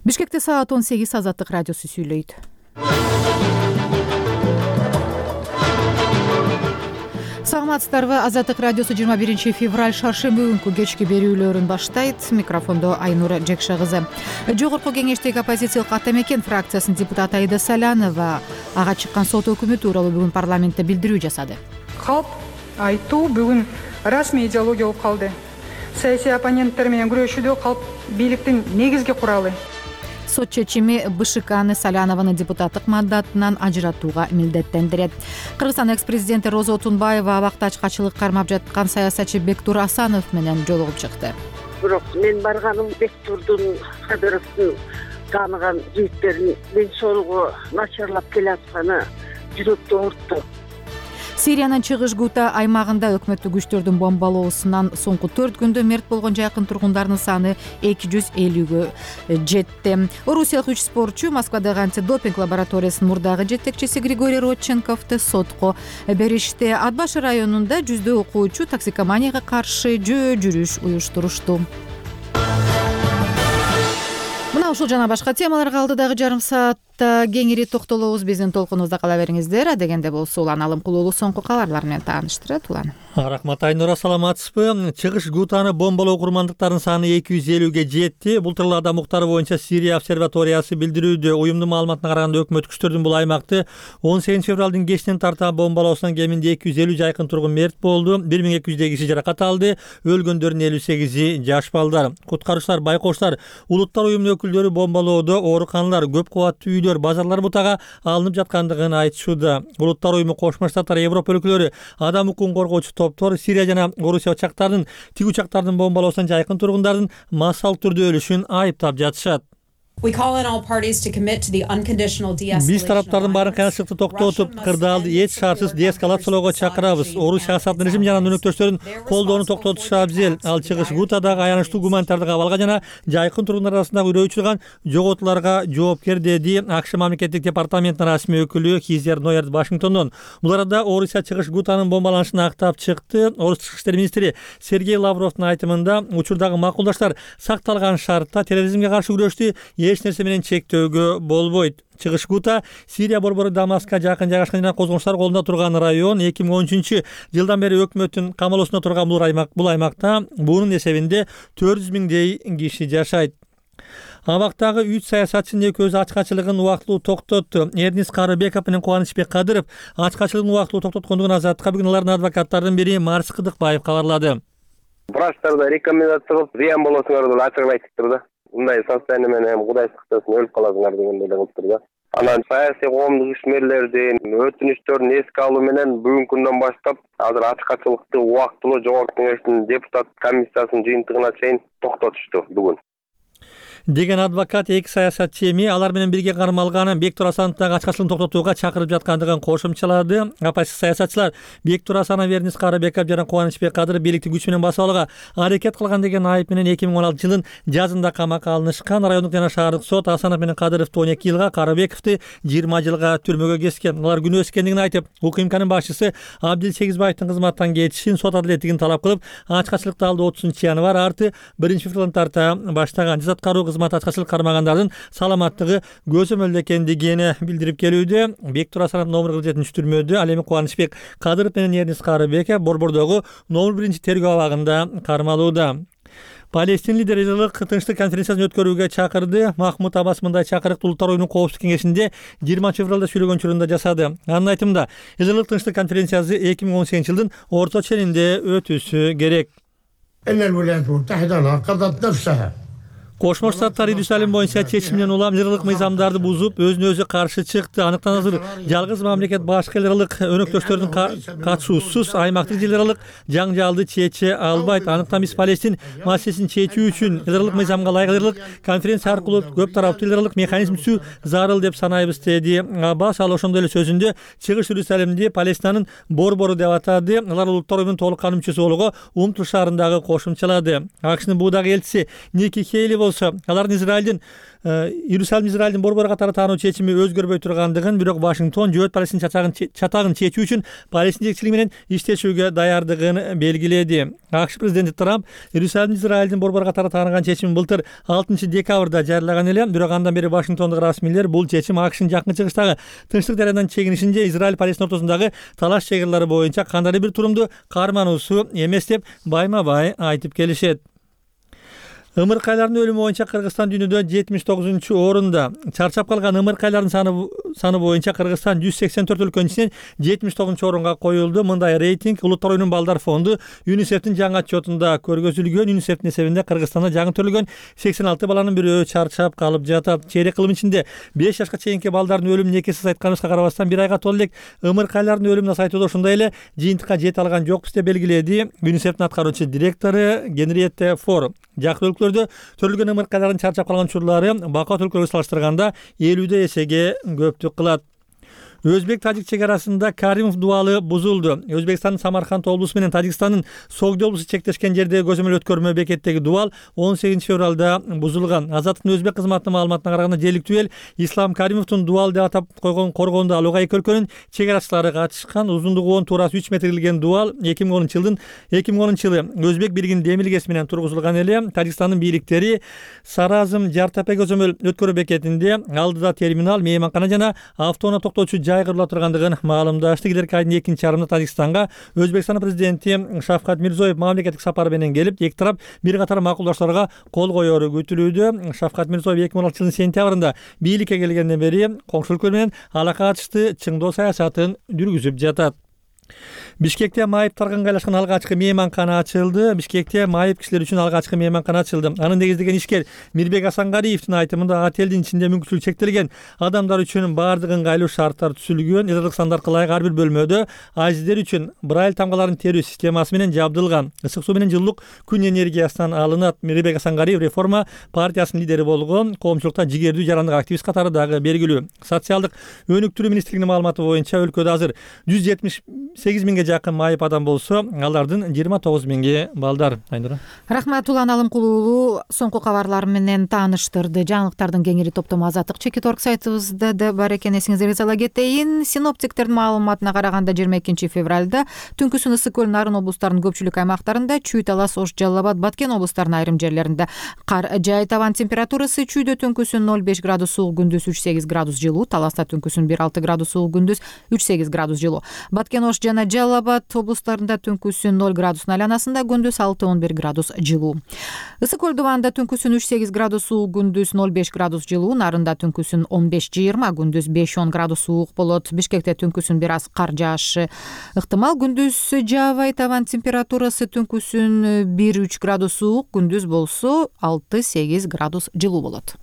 Бишкекте саат 18 Азаттык радиосу сүйлөйт. Саламатсыздарбы? Азаттык радиосу 21 февраль шаршемби күнкү кечки берүүлөрүн баштайт. Микрофондо Айнура Жекша кызы. Жогорку кеңештеги оппозициялык Ата Мекен фракциясынын депутаты Аида Салянова ага чыккан сот өкүмү тууралуу бүгүн парламентте билдирүү жасады. Калп айтуу бүгүн расмий идеология болуп калды. Саясий оппоненттер менен күрөшүүдө калп бийликтин негизги куралы. Сот чечими БШКны Салянованы депутаттык мандатынан ажыратууга милдеттендирет. Кыргызстан экс-президенти Роза Отунбаева абакта ачкачылык кармап жаткан саясатчы Бектур Асанов менен жолугуп чыкты. Бирок мен барганым Бектурдун Кадыровдун тааныган жигиттеринин ден соолугу начарлап келатканы жүрөктү оорутtu. Сириянын чыгыш Гута аймагында өкмөттүк күчтөрдүн бомбалоосунан соңку 4 күндө мерт болгон жакын тургундардын саны 250ге жетти. Орусиялык 3 спортчу Москвадагы антидопинг лабораториясынын мурдагы жетекчиси Григорий Родченковду сотко беришти. Ат Башы районунда жүздөй окуучу токсикоманияга каршы жүрүш уюштурушту. Мына ушул жана башка темаларга алдыдагы жарым саатта кеңири токтолобуз. Биздин толкунубузда кала бериңиздер. Адегенде болсо Улан Алымкулуулу соңку кабарлар менен тааныштырат. Улан. Рахмат Айнура, саламатсызбы? Чыгыш Гутаны бомбалоо курмандыктарынын саны 250ге жетти. Бул тууралуу адам укуктары боюнча Сирия обсерваториясы билдирүүдө. Уюмдун маалыматына караганда өкмөт күчтөрдүн бул аймакты 18 февралдын кечинен тарта бомбалоосунан кеминде 250 жайкын тургун мерт болду. 1200 киши жаракат алды. Өлгөндөрдүн 58-и жаш балдар. Куткаруучулар байкоштар, улуттар уюмунун өкүлдөрү бомбалоодо ооруканалар, көп кабаттуу үйлөр, базарлар бутага алынып жаткандыгын айтышууда. Улуттар уюму, Кошмо Штаттар, Европа өлкөлөрү, адам укугун коргоочу топтор Сирия жана Орусия учактарынын, тиг учактардын бомбалоосунан жайкын тургундардын массалык түрдө өлүшүн айыптап жатышат. Биз тараптардын баарын кыйынчылыкты токтотуп, кырдаалды эч шартсыз деэскалациялоого чакырабыз. Орусия саясаттын режим жана өнөктөштөрүн колдоону токтотушу абзел. Ал чыгыш Гутадагы аянычтуу гуманитардык абалга жана жайкын тургундар арасындагы үрөө учурган жоготууларга жоопкер, деди АКШ мамлекеттик департаментинин расмий өкүлү Хизер Нойерт Вашингтондон. Бул арада Орусия чыгыш Гутанын бомбаланышын актап чыкты. Орус тышкы иштер министри Сергей Лавровдун айтымында учурдагы макулдаштар сакталган шартта терроризмге каршы күрөштү эч нерсе менен чектөөгө болбойт. Чыгыш Гута Сирия борбору Дамаска жакын жайгашкан жана козгонуштар колунда турган район. 2013-жылдан бери өкмөттүн камалоосунда турган бул аймакта буунун эсебинде 400 миңдей киши жашайт. Абактагы 3 саясатчынын экөөсү ачкачылыгын убактылуу токтотту. Эрнис Карыбеков менен Кубанычбек Кадыров ачкачылыгын убактылуу токтоткондугун Азаттыкка бүгүн алардын адвокаттарынын бири Марс Кыдыкбаев кабарлады. Врачтарда рекомендация кылып, зыян болосуңар деп ачыгын айтыптыр да. Мындай состояние менен Кудай сактасын өлүп каласыңар деген эле кылыптыр да. Анан саясий коомдук ишмерлердин өтүнүчтөрүн эске алуу менен бүгүнкү күндөн баштап азыр ачкачылыкты убактылуу жогорку кеңештин депутат комиссиясынын жыйынтыгына чейин токтотушту бүгүн деген адвокат эки саясатчы эми алар менен бирге кармалган Бектур Асановдогу ачкачылыгын токтотууга чакырып жаткандыгын кошумчалады. Оппозиция саясатчылар Бектур Асанов, Эрнис Карыбеков жана Кубанычбек Кадыров бийликти күч менен басып алууга аракет кылган деген айып менен 2016-жылдын жазында камакка алынышкан. Райондук жана шаардык сот Асанов менен Кадыровду 12 жылга, Карыбековду 20 жылга түрмөгө кескен. Алар күнөөсүз экендигин айтып, УКМКнын башчысы Абдил Сегизбаевдин кызматтан кетишин, сот адилеттигин талап кылып, ачкачылыкты алды 30-январь арты 1-февралдан тарта баштаган. Жаза аткаруу кызматы ачкачылык кармагандардын саламаттыгы көзөмөлдө экендигин билдирип келүүдө. Бектур Асанов номер 47 түрмөдө, ал эми Кубанычбек Кадыров менен Эрнис Карыбеков борбордогу номер 1 тергөө абагында кармалууда. Палестин лидери жылдык тынчтык конференциясын өткөрүүгө чакырды. Махмуд Аббас мындай чакырыкты Улуттар уюмунун коопсуздук кеңешинде 20 февралда сүйлөгөн учурунда жасады. Анын айтымында, жылдык тынчтык конференциясы 2018-жылдын орто ченинде өтүшү керек. Кошмо Штаттар Иерусалим боюнча чечиминен улам лидерлык мыйзамдарды бузуп, өзүнө өзү каршы чыкты. Аныктан азыр жалгыз мамлекет башка лидерлык өнөктөштөрдүн катышуусуз аймактык лидерлык жаңжалды чече албайт. Аныктан биз Палестин маселесин чечүү үчүн лидерлык мыйзамга ылайык лидерлык конференция аркылуу көп тараптуу лидерлык механизм түзүү зарыл деп санайбыз, деди Аббас. Ал ошондой эле сөзүндө чыгыш Иерусалимди Палестинанын борбору деп атады. Алар Улуттар уюмунун толук кандуу мүчөсү болууга умтулушарындагы кошумчалады. АКШнын буудагы элчиси Ники Хейли болсо алардын Израилдин борбор катары таануу чечими өзгөрбөй тургандыгын, бирок Вашингтон жөөт Палестин чатагын чечүү үчүн Палестин жетекчилиги менен иштешүүгө даярдыгын белгиледи. АКШ президенти Трамп Иерусалим Израилдин борбор катары тааныган чечимин былтыр 6 декабрда жарыялаган эле, бирок андан бери Вашингтондук расмийлер бул чечим АКШнын жакын чыгыштагы тынчтык жарандан чегинишин же Израиль Палестин ортосундагы талаш чегарлары боюнча кандайдыр бир турумду кармануусу эмес деп байма-бай айтып келишет. Ымыркайлардын өлүмү боюнча Кыргызстан дүйнөдө 79-орунда. Чарчап калган ымыркайлардын саны боюнча Кыргызстан 184 өлкөнүн ичинен 79-орунга коюлду. Мындай рейтинг Улуттар оюнун балдар фонду ЮНИСЕФтин жаңы отчетунда көргөзүлгөн. ЮНИСЕФтин эсебинде Кыргызстанда жаңы төрөлгөн 86 баланын бирөө чарчап калып жатат. Чейрек кылым ичинде 5 жашка чейинки балдардын өлүмүн экесе азайтканыбызга карабастан, бир айга толо элек ымыркайлардын өлүмүн азайтууда ошондой эле жыйынтыкка жете алган жокпуз деп белгиледи ЮНИСЕФтин аткаруучу директору Генриетте Фор. Жакын өлкөлөрдө төрөлгөн ымыркайлардын чарчап калган учурлары бакыт өлкөлөргө салыштырганда 50 эсеге көптүк кылат. Өзбек-Тажик чегарасында Каримов дубалы бузулду. Өзбекстандын Самарканд облусу менен Тажикстандын Согди облусу чектешкен жердеги көзөмөл өткөрмө бекеттеги дубал 18 февралда бузулган. Азаттыктын өзбек кызматынын маалыматына караганда, желиктүү эл Ислам Каримовдун дубал деп атап койгон коргондо алууга эки өлкөнүн чегарачылары катышкан. Узундугу 10 туурасы 3 метр келген дубал 2010 жылы Өзбек бийлигинин демилгеси менен тургузулган эле. Тажикстандын бийликтери Саразм Жартапе көзөмөл өткөрүү бекетинде алдыда терминал, мейманкана жана автоунаа токтоочу жай курулуп тургандыгын маалымдашты. Келерки айдын 2-чарымында Тажикстанга Өзбекстандын президенти Шавкат Мирзиёев мамлекеттик сапары менен келип, эки тарап бир катар макулдаштарга кол коеру күтүлүүдө. Шавкат Мирзиёев 2016 жылдын сентябрында бийликке келгенден бери коңшу өлкөлөр менен алака ачышты чыңдоо саясатын жүргүзүп жатат. Бишкекте майып таргангайлашкан алгачкы мейманкана ачылды. Бишкекте майып кишилер үчүн алгачкы мейманкана ачылды. Аны негиздеген ишкер Мирбек Асангариевдин айтымында отелдин ичинде мүмкүнчүлүгү чектелген адамдар үчүн баардык ыңгайлуу шарттар түзүлгөн. Эзодук стандартка ылайык ар бир бөлмөдө ажиздер үчүн брайль тамгаларын терүү системасы менен жабдылган. Ысык суу менен жылуулук күн энергиясынан алынат. Мирбек Асангариев реформа партиясынын лидери болгон, коомчулукта жигердүү жарандык активист катары дагы белгилүү. Социалдык өнүктүрүү министрлигинин маалыматы боюнча өлкөдө азыр 178 миңге жакын майып адам болсо, алардын 29 миңи балдар. Айнура. Рахмат, Улан Алымкул уулу соңку кабарлар менен тааныштырды. Жаңылыктардын кеңири топтому Азаттык Чекит.орг сайтыбызда да бар экен, эсиңиздерге сала кетейин. Синоптиктердин маалыматына караганда 22 февралда түнкүсүн Ысык көл, Нарын облустарынын көпчүлүк аймактарында, Чүй, Талас, Ош, Жалал Абад, Баткен облустарынын айрым жерлеринде кар жаайт. Абан температурасы Чүйдө түнкүсүн 0,5 градус суук, күндүз 3,8 градус жылуу. Таласта түнкүсүн 1,6 градус суук, күндүз 3,8 градус жылуу. Баткен, Ош жана Жалал Абад облустарында түнкүсүн 0 градустун айланасында, күндүз 6-11 градус жылуу. Ысык көл дубанда түнкүсүн 3,8 градус суук, күндүз 0,5 градус жылуу. Нарында түнкүсүн 15-20, күндүз 5-10 градус суук болот. Бишкекте түнкүсүн бир аз кар жаашы ыктымал, күндүз жаабайт. Абан температурасы түнкүсүн 1-3 градус суук, күндүз болсо 6-8 градус жылуу болот.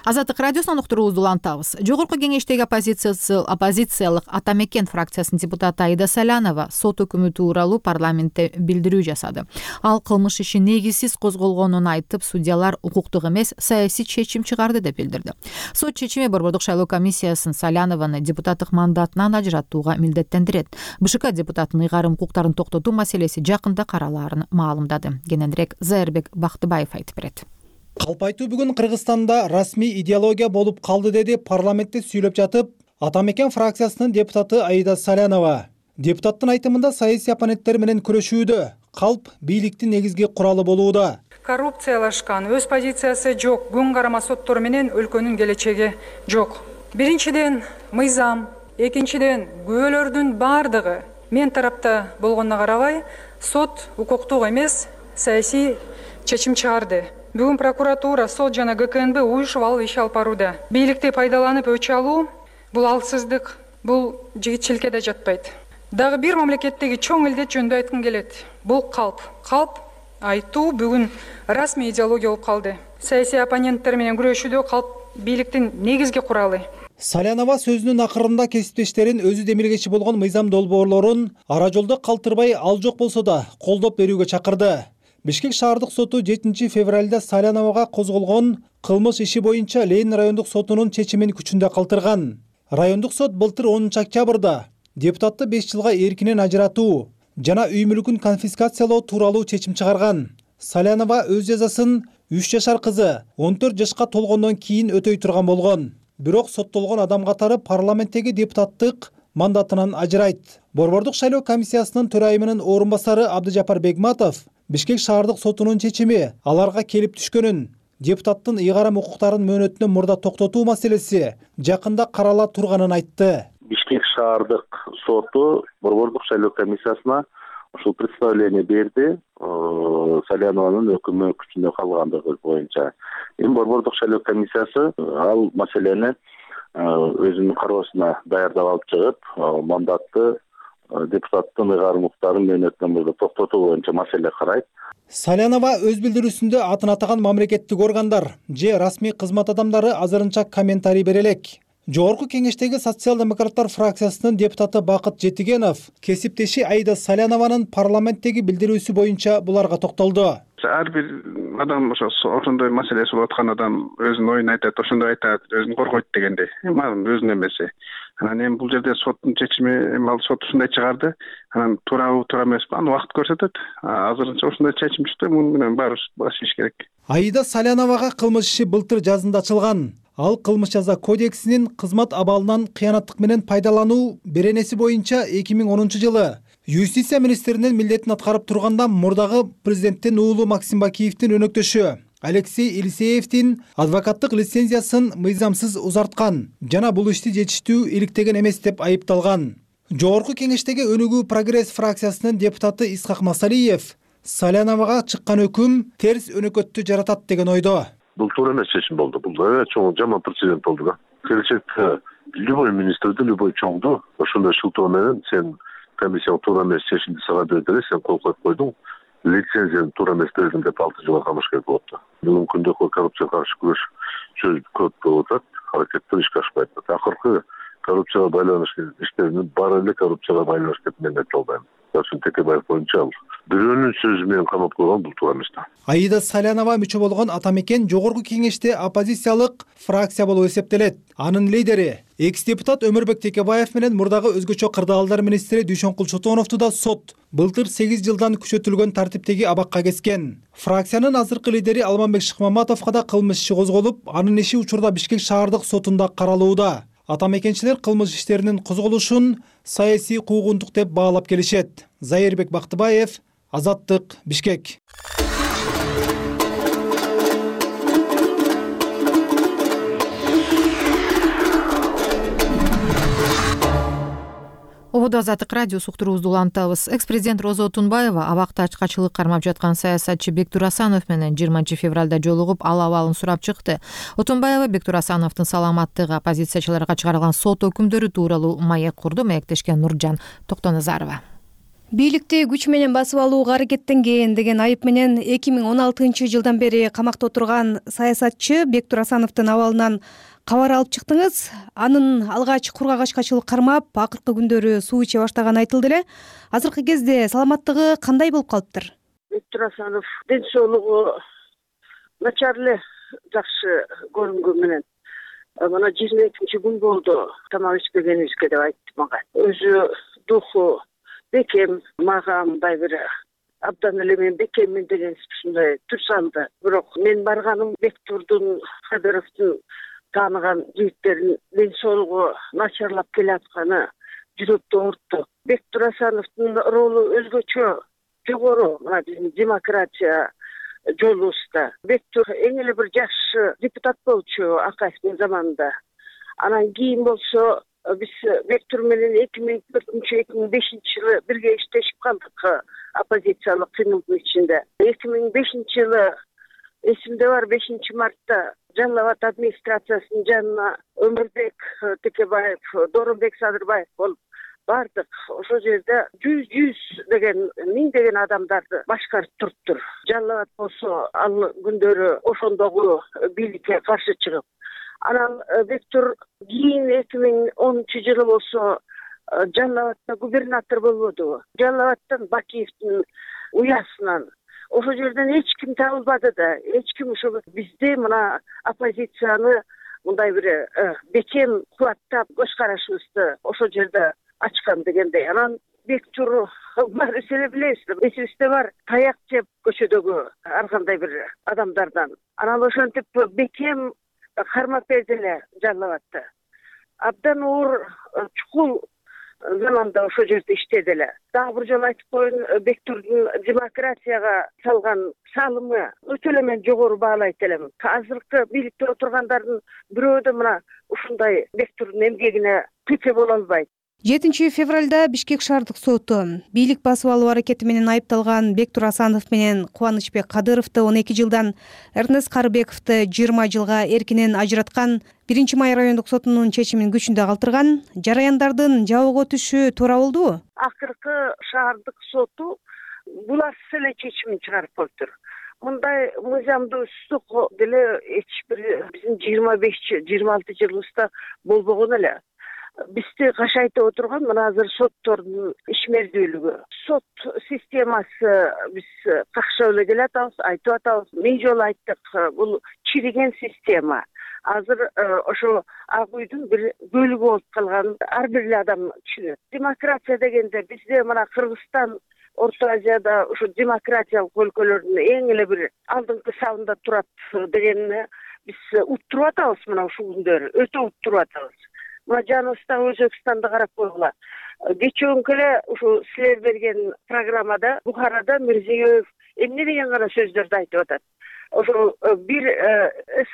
Азаттык радиосунан уктуруубузду улантабыз. Жогорку кеңештеги оппозициялык Ата Мекен фракциясынын депутаты Аида Салянова сот өкүмү тууралуу парламентте билдирүү жасады. Ал кылмыш иши негизсиз козголгонун айтып, судьялар укуктук эмес, саясий чечим чыгарды деп билдирди. Сот чечими Борбордук шайлоо комиссиясын Салянованы депутаттык мандатынан ажыраттууга милдеттендирет. БШК депутатынын ыйгарым укуктарын токтотуу маселеси жакында каралаарын маалымдады. Кененирээк Зайырбек Бактыбаев айтып берет. Калп айтуу бүгүн Кыргызстанда расмий идеология болуп калды, деди парламентте сүйлөп жатып Ата Мекен фракциясынын депутаты Аида Салянова. Депутаттын айтымында саясий оппоненттер менен күрөшүүдө калп бийликтин негизги куралы болууда. Коррупциялашкан, өз позициясы жок, күн карама соттору менен өлкөнүн келечеги жок. Биринчиден мыйзам, экинчиден күбөлөрдүн бардыгы мен тарапта болгонуна карабай, сот укуктук эмес, саясий чечим чыгарды. Бүгүн прокуратура, сот жана ГКНБ уюшуп алып иш алып барууда. Бийликти пайдаланып өч алуу бул алсыздык, бул жигитчиликке да жатпайт. Дагы бир мамлекеттеги чоң илдет жөнүндө айткым келет. Бул калп айтуу бүгүн расмий идеология болуп калды. Саясий оппоненттер менен күрөшүүдө калп бийликтин негизги куралы. Салянова сөзүнүн акырында кесиптештерин өзү демилгечи болгон мыйзам долбоорлорун ара жолдо калтырбай, ал жок болсо да колдоп берүүгө чакырды. Бишкек шаардык соту 7 февралда Саляновага козголгон кылмыш иши боюнча Ленин райондук сотунун чечимин күчүндө калтырган. Райондук сот былтыр 10 октябрда депутатты 5 жылга эркинен ажыратуу жана үй мүлкүн конфискациялоо тууралуу чечим чыгарган. Салянова өз жазасын 3 жашар кызы 14 жашка толгондон кийин өтөй турган болгон. Бирок соттолгон адам катары парламенттеги депутаттык мандатынан ажырайт. Борбордук шайлоо комиссиясынын төрайымынын орун басары Абдыжапар Бегматов Бишкек шаардык сотунун чечими аларга келип түшкөнүн, депутаттын ыйгарым укуктарын мөөнөтүнөн мурда токтотуу маселеси жакында карала турганын айтты. Бишкек шаардык соту борбордук шайлоо комиссиясына ушул представление берди. Салянованын өкүмү күчүндө калгандыгы боюнча. Эми борбордук шайлоо комиссиясы ал маселени өзүнүн кароосуна даярдап алып чыгып, мандатты депутаттын ыйгарым укуктарын мөөнөтүнөн мурда токтотуу боюнча маселе карайт. Салянова өз билдирүүсүндө атын атаган мамлекеттик органдар же расмий кызмат адамдары азырынча комментарий бере элек. Жогорку кеңештеги социал-демократтар фракциясынын депутаты Бакыт Жетигенов кесиптеши Аида Салянованын парламенттеги билдирүүсү боюнча буларга токтолду. Ар бир адам ошондой маселеси болуп аткан адам өзүнүн оюн айтат, ошондой айтат, өзүн коргойт дегенде. Анан өзүнүн эмеси. Анан эми бул жерде соттун чечими, эми ал сот ушундай чыгарды. Анан туурабы, туура эмеспи, аны убакыт көрсөтөт. Азырынча ушундай чечим чыкты, муну менен баарыбыз баш ийиш керек. Аида Саляновага кылмыш иши былтыр жазында ачылган. Ал кылмыш жаза кодексинин кызмат абалынан кыянаттык менен пайдалануу беренеси боюнча 2010 жылы юстиция министринин милдетин аткарып турганда мурдагы президенттин уулу Максим Бакиевдин өнөктөшү Алексей Елисеевдин адвокаттык лицензиясын мыйзамсыз узарткан жана бул ишти жетиштүү иликтеген эмес деп айыпталган. Жогорку кеңештеги Өнүгүү прогресс фракциясынын депутаты Исхак Масалиев Саляновага чыккан өкүм терс өнөкөттү жаратат деген ойдо. Бул туура эмес чечим болду. Бул чоң жаман прецедент болду да. Келечекте любой министрди, любой чоңду ошондой шылтоо менен сен комиссия туура эмес чечимди сага берди, сен кол коюп койдуң. Лицензияны туура эмес бердим деп 6 жылга камаш керек болот да. Бүгүнкү күндө коррупцияга каршы күрөш көп болуп атат, аракеттер ишке ашпайт. Акыркы коррупцияга байланыштуу иштердин баары эле коррупцияга байланыштуу деп мен айта албайм. Сарсын Текебаев боюнча ал бирөөнүн сөзү менен камап койгон, бул туура эмес да. Аида Салянова мүчө болгон Атамекен жогорку кеңеште оппозициялык фракция болуп эсептелет. Анын лидери экс-депутат Өмүрбек Текебаев менен мурдагы өзгөчө кырдаалдар министри Дүйшөнкул Чотоновду да сот былтыр 8 жылдан күчөтүлгөн тартиптеги абакка кескен. Фракциянын азыркы лидери Алмамбек Шыкмаматовго да кылмыш иши козголуп, анын иши учурда Бишкек шаардык сотунда каралууда. Атамекенчилер кылмыш иштеринин козголушун саясий куугунтук деп баалап келишет. Зайырбек Бактыбаев, Азаттык, Бишкек. Ободо Азаттык радиосу уктуруубузду улантабыз. Экс-президент Роза Отунбаева абакта ачкачылык кармап жаткан саясатчы Бектур Асанов менен 20 февралда жолугуп, ал абалын сурап чыкты. Отунбаева Бектур Асановдун саламаттыгы, оппозициячыларга чыгарылган сот өкүмдөрү тууралуу маек курду. Маектешкен Нуржан Токтоназарова. Бийликти күч менен басып алууга аракеттенген деген айып менен 2016 жылдан бери камакта отурган саясатчы Бектур Асановдун абалынан кабар алып чыктыңыз. Анын алгач кургак ачкачылык кармап, акыркы күндөрү суу иче баштаганы айтылды эле. Азыркы кезде саламаттыгы кандай болуп калыптыр? Бектур Асанов ден соолугу начар эле, жакшы көрүнгөн менен. Мына 22 күн болду тамак ичпегенибизге деп айтты мага. Өзү духу бекем, мага мындай бир абдан эле мен бекеммин деген ушундай түр салды. Бирок мен барганым Бектурдун, Кадыровдун тааныган жигиттердин ден соолугу начарлап келатканы жүрөктү оорутtu. Бектур Асановдун ролу өзгөчө, жогору мына биздин демократия жолубузда. Бектур эң эле бир жакшы депутат болчу Акаевдин заманында. Анан кийин болсо биз Бектур менен 2004-2005 жылы бирге иштешип калдык оппозициялык кыймылдын ичинде. 2005 жылы эсимде бар, 5 мартта Жалал Абад администрациясынын жанына Өмүрбек Текебаев, Доронбек Садырбаев болуп бардык. Ошол жерде 100 деген, 1000 деген адамдарды башкарып туруптур. Жалал Абад болсо ал күндөрү ошондогу бийликке каршы чыгып. Анан Бектур кийин 2010 жылы болсо Жалал Абадта губернатор болбоду. Жалал Абадтан Бакиевдин уясынан ошол жерден эч ким табылбады да, эч ким ошо бизде мына оппозицияны мындай бир бекем кубаттап көз карашыбызды ошол жерде ачкан дегендей. Анан Бектур баары силер билесиздер, эсибизде бар, таяк жеп көчөдөгү ар кандай бир адамдардан. Анан ошентип бекем кармап берди эле, жарлап атты. Абдан оор чукул заманда ошол жерде иштеди эле. Дагы бир жолу айтып коеюн, Бектурдун демократияга салган салымы өтө эле мен жогору баалайт элем. Азыркы бийликте отургандардын бирөө да мына ушундай Бектурдун эмгегине текке боло албайт. 7 февралда Бишкек шаардык соту бийлик басып алуу аракети менен айыпталган Бектур Асанов менен Кубанычбек Кадыровду 12 жылдан, Эрнест Карыбековду 20 жылга эркинен ажыраткан 1-Май райондук сотунун чечимин күчүндө калтырган. Жараяндардын жабылго түшү туура болдубу? Акыркы шаардык соту буларсыз эле чечимин чыгарып коюптур. Мындай мыйзамдуулук деле эч бир биздин 25-26 жылыбызда болбогон эле. Бизди кашайтып отурган мына азыр соттордун ишмердүүлүгү. Сот системасы биз какшап эле келатабыз, айтып атабыз. Миң жолу айттык, бул чириген система. Азыр ошо ак үйдүн бир бөлүгү болуп калган ар бир адам түшүнөт. Демократия дегенде бизде мына Кыргызстан Орто Азияда ушу демократиялык өлкөлөрдүн эң эле бир алдыңкы сабында турат дегенди биз уттуруп атабыз мына ушул күндөрү. Өтө уттуруп атабыз. Мына жаныбыздагы Өзбекстанды карап койгула. Кечээкүнкү эле ушу силер берген программада Бухарада Мирзиёев эмне деген гана сөздөрдү айтып атат. Ошо бир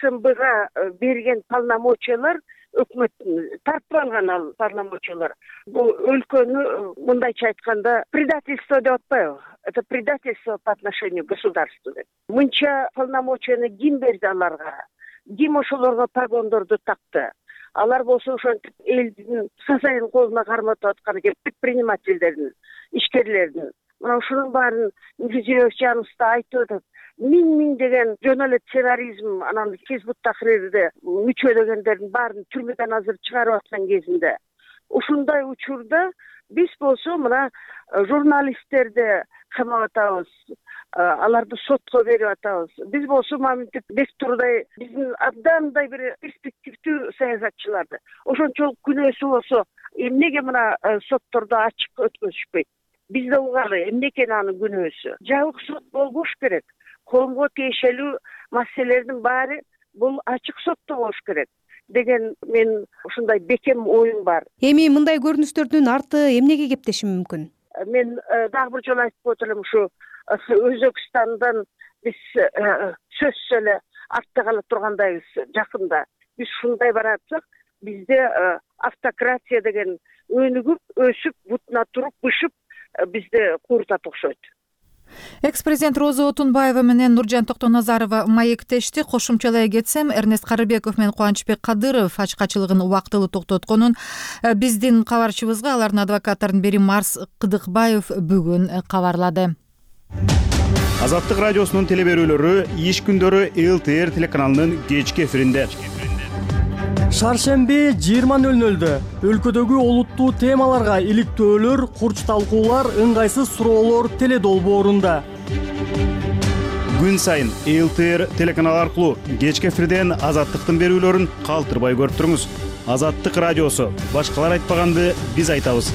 СМБга берген полномочиялар өкмөттүн тартып алган ал полномочиялар. Бул өлкөнү мындайча айтканда предательство деп атпайбы? Это предательство по отношению к государству. Мынча полномочияны ким берди аларга? Ким ошолорго погондорду такты? Алар болсо ошентип элдин сасайын колуна карматып аткан экен, предпринимательдердин, ишкерлердин. Мына ушунун баарын Мирзиёев жаныбызда айтып атат. Миң деген жөн эле терроризм, анан Хизбут Тахрирде мүчө дегендердин баарын түрмөдөн азыр чыгарып аткан кезинде. Ушундай учурда биз болсо мына журналисттерди камап атабыз, аларды сотко берип атабыз. Биз болсо маминтип Бектурдай биздин абдандай бир перспективдүү саясатчыларды. Ошончолук күнөөсү болсо эмнеге мына соттордо ачык өткөзүшпөйт? Биз да угалы эмне экен анын күнөөсү. Жабык сот болбош керек. Коомго тиешелүү маселелердин баары бул ачык сотто болуш керек деген мен ушундай бекем оюм бар. Эми мындай көрүнүштөрдүн арты эмнеге кептеши мүмкүн? Мен дагы бир жолу айтып коет элем, ушу Өзбекстандан биз сөзсүз эле артта кала тургандайбыз жакында. Биз ушундай баратсак, бизде автократия деген өнүгүп, өсүп, бутуна туруп, бышып бизди кууртат окшойт. Экс-президент Роза Отунбаева менен Нуржан Токтоназарова маектешти. Кошумчалай кетсем, Эрнест Карыбеков менен Кубанычбек Кадыров ачкачылыгын убактылуу токтотконун биздин кабарчыбызга алардын адвокаттарынын бири Марс Кыдыкбаев бүгүн кабарлады. Азаттык радиосунун телеберүүлөрү иш күндөрү ЛТР телеканалынын кечки эфиринде. Шаршемби 20:00 өлкөдөгү олуттуу темаларга иликтөөлөр, курч талкуулар, ыңгайсыз суроолор теледолбоорунда. Күн сайын ЛТР телеканалы аркылуу кечки эфирден Азаттыктын берүүлөрүн калтырбай көрүп туруңуз. Азаттык радиосу. Башкалар айтпаганды биз айтабыз.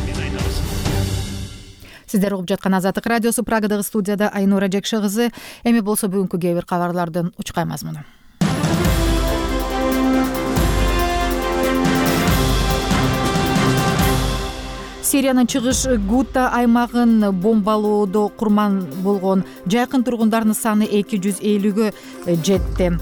Сиздер угуп жаткан Азаттык радиосу. Прагадагы студияда Айнура Жекше кызы. Эми болсо бүгүнкү кээ бир кабарлардын учкай мазмуну. Сириянын чыгыш Гута аймагын бомбалоодо курман болгон жакын тургундардын саны 250-гө жетти.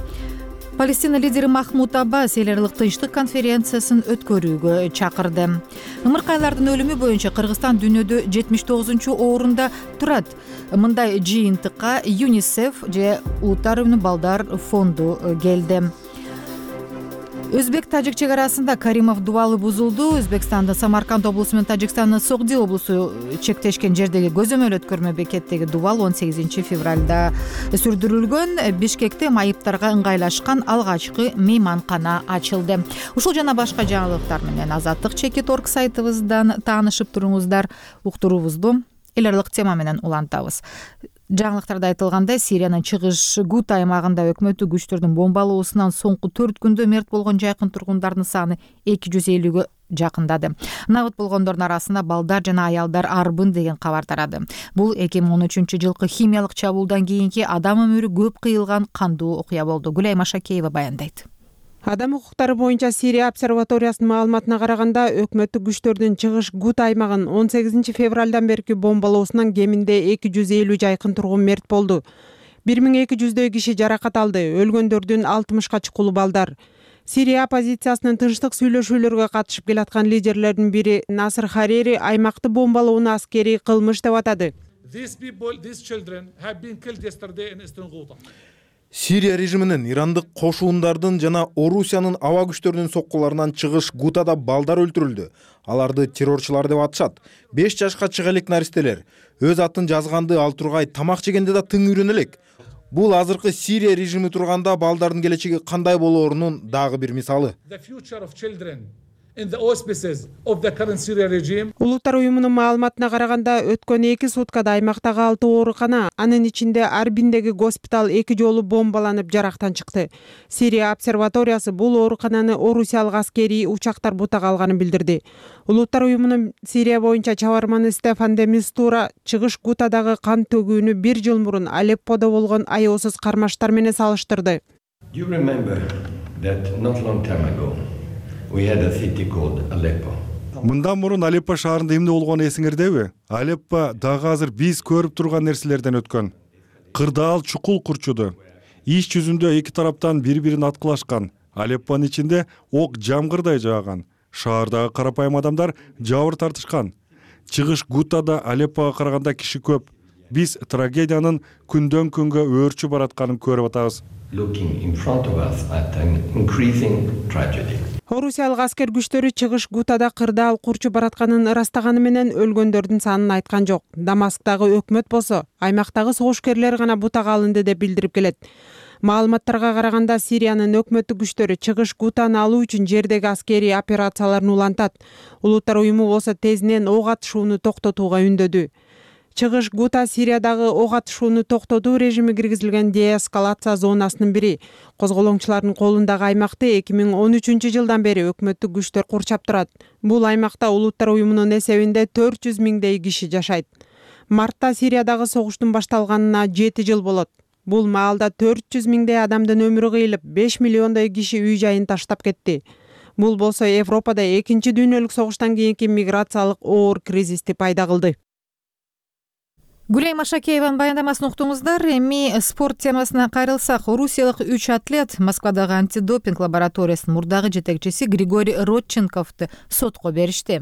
Палестина лидери Махмуд Аббас эл аралык тынчтык конференциясын өткөрүүгө чакырды. Ымыркайлардын өлүмү боюнча Кыргызстан дүйнөдө 79-орунда турат. Мындай жыйынтыкка ЮНИСЕФ же Улуттар уюмунун балдар фонду келди. Өзбек-тажик чек арасында Каримов дубалы бузулду. Өзбекстандын Самарканд облусу менен Тажикстандын Согди облусу чектешкен жердеги көзөмөл өткөрмө бекеттеги дубал 18 февралда сүрдүрүлгөн. Бишкекте майыптарга ыңгайлашкан алгачкы мейманкана ачылды. Ушул жана башка жаңылыктар менен Азаттык Чекит.org сайтыбыздан таанышып туруңуздар. Уктуруубузду эл аралык тема менен улантабыз. Жаңылыктарда айтылгандай, Сириянын чыгыш Гута аймагында өкмөттүк күчтөрдүн бомбалоосунан соңку 4 күндө мерт болгон жакын тургундардын саны 250-гө жакындады. Набыт болгондордун арасында балдар жана аялдар арбын деген кабар тарады. Бул 2013-жылкы химиялык чабуулдан кийинки адам өмүрү көп кыйылган кандуу окуя болду. Гүлай Машакеева баяндайт. Адам укуктары боюнча Сирия обсерваториясынын маалыматына караганда, өкмөттүк күчтөрдүн чыгыш Гута аймагын 18 февралдан берки бомбалоосунан кеминде 250 жайкын тургун мерт болду. 1200 киши жаракат алды, өлгөндөрдүн 60ка чукулу балдар. Сирия оппозициясынын тынчтык сүйлөшүүлөргө катышып келаткан лидерлердин бири Насыр Харири аймакты бомбалоону аскерий кылмыш деп атады. Сирия режиминин ирандык кошуундардын жана Орусиянын аба күчтөрүнүн соккуларынан чыгыш Гутада балдар өлтүрүлдү. Аларды террорчулар деп атышат. 5 жашка чыга элек наристелер өз атын жазганды ал тургай тамак жегенде да тың үйрөнө элек. Бул азыркы Сирия режими турганда балдардын келечеги кандай болоорунун дагы бир мисалы. Улуттар уюмунун маалыматына караганда, өткөн 2 суткада аймактагы 6 оорукана, анын ичинде Арбиндеги госпиталь 2 жолу бомбаланып жарактан чыкты. Сирия обсерваториясы бул оорукананы орусиялык аскерий учактар бутага алганын билдирди. Улуттар уюмунун Сирия боюнча чабарманы Стефан де Мистура чыгыш Гутадагы кан төгүүнү 1 жыл мурун Алепподо болгон аеосуз кармаштар менен салыштырды. Мындан мурун Алеппо шаарында эмне болгону эсиңердеби? Алеппо дагы азыр биз көрүп турган нерселерден өткөн. Кырдаал чукул курчуду. Иш жүзүндө эки тараптан бири-бирин аткылашкан. Алеппонун ичинде ок жамгырдай жааган. Шаардагы карапайым адамдар жабыр тартышкан. Чыгыш Гутада Алеппого караганда киши көп. Биз трагедиянын күндөн күнгө өөрчү баратканын көрүп атабыз. Орусиялык аскер күчтөрү чыгыш Гутада кырдаал курчу баратканын ырастаганы менен өлгөндөрдүн санын айткан жок. Дамасктагы өкмөт болсо, аймактагы согушкерлер гана бутага алынды деп билдирип келет. Маалыматтарга караганда, Сириянын өкмөттүк күчтөрү чыгыш Гутаны алуу үчүн жердеги аскерий операцияларын улантат. Улуттар уюму болсо тезинен ок атышууну токтотууга үндөдү. Чыгыш Гута Сириядагы ок атышууну токтотуу режими киргизилген деэскалация зонасынын бири. Козголоңчулардын колундагы аймакты 2013-жылдан бери өкмөттүк күчтөр курчап турат. Бул аймакта улуттар уюмунун эсебинде 400 миңдей киши жашайт. Мартта Сириядагы согуштун башталганына 7 жыл болот. Бул маалда 400 миңдей адамдын өмүрү кыйылып, 5 миллиондой киши үй жайын таштап кетти. Бул болсо Европада 2 дүйнөлүк согуштан кийинки миграциялык оор кризисти пайда кылды. Гүлай Машакееванын баяндамасын уктуңуздар. Эми спорт темасына кайрылсак, орусиялык 3 атлет Москвадагы антидопинг лабораториясынын мурдагы жетекчиси Григорий Родченковду сотко беришти.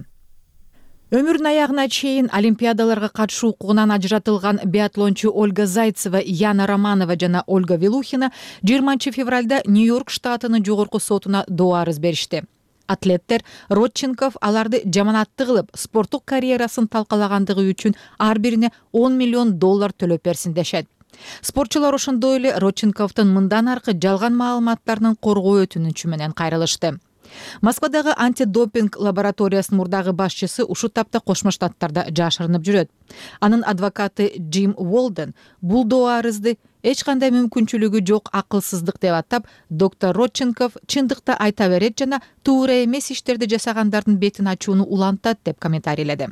Өмүрүнүн аягына чейин олимпиадаларга катышуу укугунан ажыратылган биатлончу Ольга Зайцева, Яна Романова жана Ольга Вилухина 20 февралда Нью-Йорк штатынын жогорку сотуна доо арыз беришти. Атлеттер Родченков аларды жаманатты кылып, спорттук карьерасын талкалагандыгы үчүн ар бирине $10 миллион төлөп берсин дешет. Спортчулар ошондой эле Родченковдун мындан аркы жалган маалыматтарынын коргоо өтүнүчү менен кайрылышты. Москвадагы антидопинг лабораториясынын мурдагы башчысы ушул тапта Кошмо Штаттарда жашырынып жүрөт. Анын адвокаты Джим Уолден бул доо арызды эч кандай мүмкүнчүлүгү жок акылсыздык деп атап, доктор Родченков чындыкты айта берет жана туура эмес иштерди жасагандардын бетин ачууну улантат деп комментарийледи.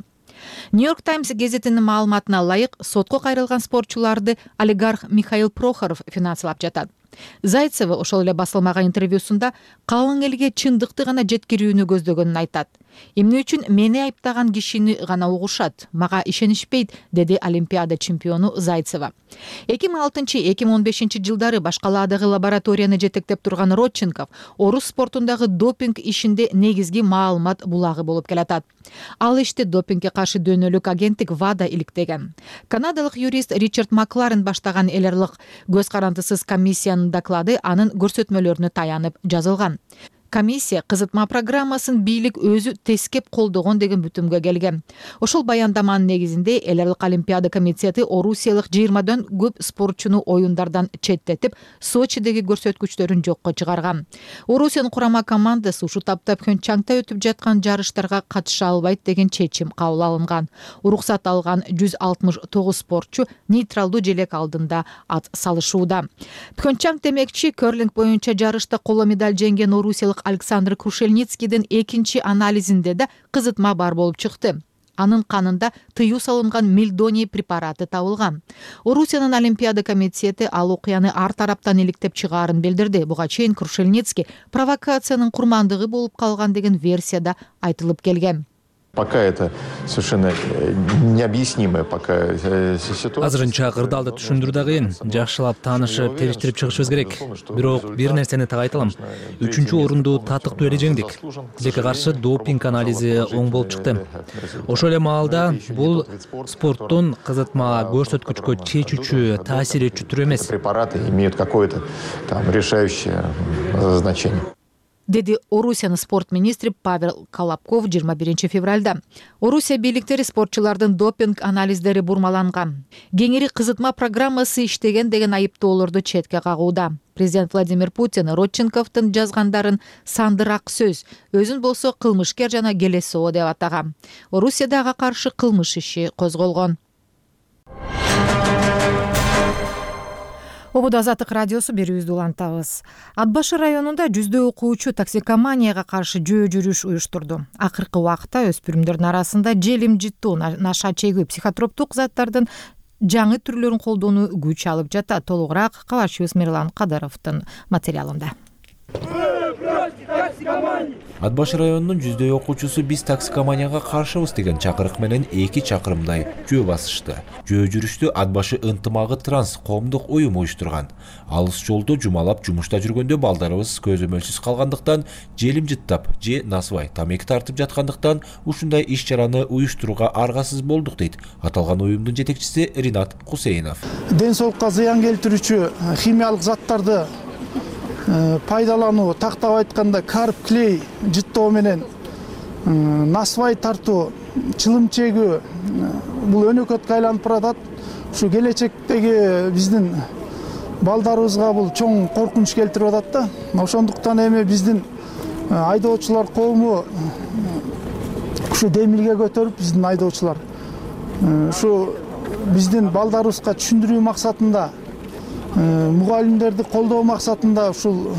Нью-Йорк Таймс гезитинин маалыматына ылайык, сотко кайрылган спортчуларды олигарх Михаил Прохоров финансылап жатат. Зайцева ошол эле басылмаган интервьюсунда калың элге чындыкты гана жеткирүүнү көздөгөнүн айтат. Эмне үчүн мени айыптаган кишини гана угушат, мага ишенишпейт, деди Олимпиада чемпиону Зайцева. 2006-2015 жылдары башкаладагы лабораторияны жетектеп турган Родченков орус спортундагы допинг ишинде негизги маалымат булагы болуп келатат. Ал иште допингге каршы дүйнөлүк агенттик ВАДА иликтеген. Канадалык юрист Ричард Макларен баштаган эл аралык көз карандысыз комиссиянын доклады анын көрсөтмөлөрүнө таянып жазылган. Комиссия кызытма программасын бийлик өзү тескеп колдогон деген бүтүмгө келген. Ошол баяндаманын негизинде эл аралык Олимпиада комитети орусиялык 20дан көп спортчуну оюндардан четтетип, Сочидеги көрсөткүчтөрүн жокко чыгарган. Орусиянын курама командасы ушул тапта Пхенчангда өтүп жаткан жарыштарга катыша албайт деген чечим кабыл алынган. Уруксат алган 169 спортчу нейтралдуу желек алдында ат салышууда. Пхенчанг демекчи, керлинг боюнча жарышта коло медаль жеңген орусиялык орусиялык Александр Крушельницкийдин экинчи анализинде да кызытма бар болуп чыкты. Анын канында тыюу салынган мельдоний препараты табылган. Орусиянын Олимпиада комитети ал окуяны ар тараптан иликтеп чыгаарын билдирди. Буга чейин Крушельницкий провокациянын курмандыгы болуп калган деген версияда айтылып келген. Пока это совершенно необъяснимая пока ситуация. Азырынча кырдаалды түшүндүрүү да кыйын. Жакшылап таанышып, териштирип чыгышыбыз керек. Бирок бир нерсени так айта алам. 3-орунду татыктуу эле жеңдик. Бизге каршы допинг анализи оң болуп чыкты. Ошол эле маалда бул спорттун кызытма көрсөткүчкө чечүүчү, таасир этчү түрү эмес. Препараты имеют какое-то там решающее значение. Деди Орусиянын спорт министри Павел Колобков 21 февралда. Орусия бийликтери спортчулардын допинг анализдери бурмаланган. Кеңири кызытма программасы иштеген деген айыптоолорду четке кагууда. Президент Владимир Путин Родченковдун жазгандарын сандыраак сөз, өзүн болсо кылмышкер жана келесоо деп атаган. Орусияда ага каршы кылмыш иши козголгон. Обуда Азаттык радиосу берүүбүздү улантабыз. Ат башы районунда жүздөй окуучу токсикоманияга каршы жөө жүрүш уюштурду. Акыркы убакта өспүрүмдөрдүн арасында желим жыттуу, наша чегүү, психотроптук заттардын жаңы түрлөрүн колдонуу күч алып жатат. Толугураак калачыбыз Мирлан Кадыровдун материалында. Ат башы районунун жүздөй окуучусу биз токсикоманияга каршыбыз деген чакырык менен 2 чакырымдай жөө басышты. Жөө жүрүштү Ат башы ынтымагы транс коомдук уюм уюштурган. Алыс жолдо жумалап жумушта жүргөндө балдарыбыз көзөмөлсүз калгандыктан, желим жыттап же насыбай тамеки тартып жаткандыктан ушундай иш-чараны уюштурууга аргасыз болдук дейт аталган уюмдун жетекчиси Ринат Кусейнов. Ден соолукка зыян келтирүүчү химиялык заттарды пайдалануу, тактап айтканда карп, клей жыттоо менен насыбай тартуу, чылым чегүү бул өнөкөткө айланып баратат. Ушу келечектеги биздин балдарыбызга бул чоң коркунуч келтирип атат да. Ошондуктан эми биздин айдоочулар коому ушу демилге көтөрүп биздин айдоочулар ушу биздин балдарыбызга түшүндүрүү максатында мугалимдерди колдоо максатында ушул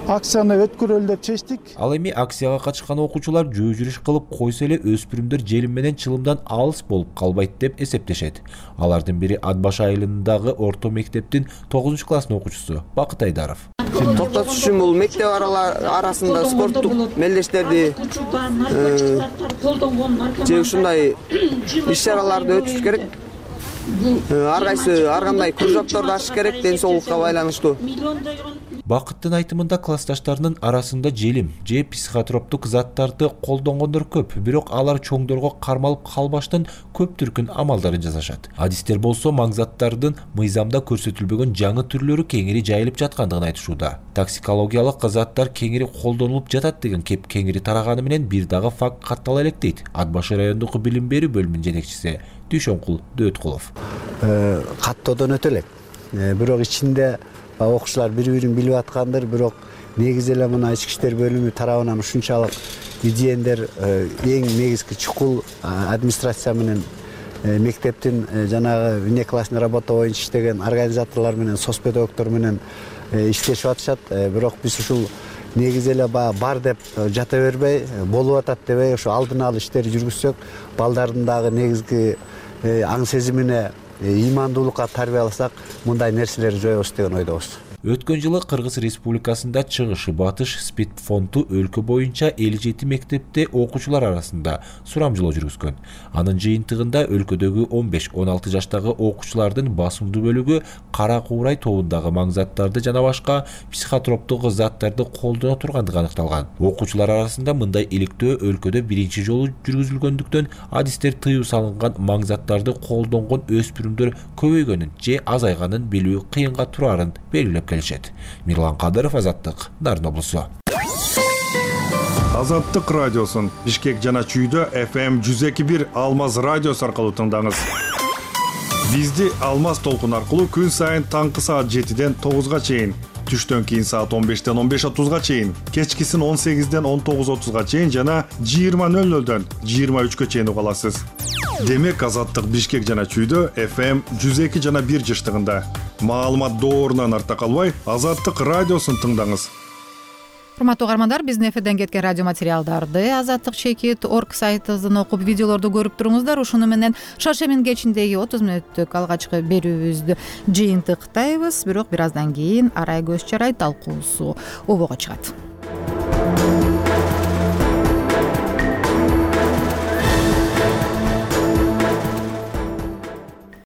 акцияны өткөрөлү деп чечтик. Ал эми акцияга катышкан окуучулар жөө жүрүш кылып койсо эле өспүрүмдөр желим менен чылымдан алыс болуп калбайт деп эсептешет. Алардын бири Ат башы айылындагы орто мектептин 9-класстын окуучусу Бакыт Айдаров. Токтотуш үчүн бул мектеп арасында спорттук мелдештерди же ушундай иш-чараларды өтүш керек. Ар кандай кружокторду ачыш керек ден соолукка байланыштуу. Бакыттын айтымында классташтарынын арасында желим же психотроптук заттарды колдонгондор көп, бирок алар чоңдорго кармалып калбаштан көп түркүн амалдарын жасашат. Адистер болсо маңзаттардын мыйзамда көрсөтүлбөгөн жаңы түрлөрү кеңири жайылып жаткандыгын айтышууда. Токсикологиялык заттар кеңири колдонулуп жатат деген кеп кеңири тараганы менен бир дагы факт каттала элек дейт Ат башы райондук билим берүү бөлүмүнүн жетекчиси Дүйшөнкул Дөөткулов. Каттоодон өтө элек. Бирок ичинде окуучулар бири-бирин билип аткандыр, бирок негизи эле мына ички иштер бөлүмү тарабынан ушунчалык изендер эң негизги чукул администрация менен мектептин жанагы внеклассный работа боюнча иштеген организаторлор менен соцпедагогдор менен иштешип атышат. Бирок биз ушул негизи эле бар деп жата бербей, болуп атат дебей, ошо алдын ала иштери жүргүзсөк, балдардын дагы негизги аң сезимине ыймандуулукка тарбияласак, мындай нерселерди жоебуз деген ойдобуз. Өткөн жылы Кыргыз Республикасында чыгыш батыш спид фонду өлкө боюнча 57 мектепте окуучулар арасында сурамжылоо жүргүзгөн. Анын жыйынтыгында өлкөдөгү 15-16 жаштагы окуучулардын басымдуу бөлүгү кара куурай тобундагы маңзаттарды жана башка психотроптук заттарды колдоно тургандыгы аныкталган. Окуучулар арасында мындай иликтөө өлкөдө биринчи жолу жүргүзүлгөндүктөн адистер тыюу салынган маңзаттарды колдонгон өспүрүмдөр көбөйгөнүн же азайганын билүү кыйынга турарын белгилеп келишет. Мирлан Кадыров, Азаттык, Нарын облусу. Азаттык радиосун Бишкек жана Чүйдө FM 102.1 Алмаз радиосу аркылуу тыңдаңыз. Бизди Алмаз толкун аркылуу күн сайын таңкы саат 7-ден 9-га чейин, түштөн кийин саат 15-ден 15:30-га чейин, кечкисин 18-ден 19:30-га чейин жана 20:00-дөн 23-кө чейин уга аласыз. Демек Азаттык Бишкек жана Чүйдө FM 102 жана 1 жыштыгында. Маалымат доорунан арта калбай, Азаттык радиосун тыңдаңыз. урматтуу угармандар, биздин эфирден кеткен радио материалдарды Азаттык чекит орг сайтыбыздан окуп, видеолорду көрүп туруңуздар. Ушуну менен шаршемин кечиндеги 30 мүнөттүк алгачкы берүүбүздү жыйынтыктайбыз. Бирок бир аздан кийин арай көз чарай талкуусу обого чыгат.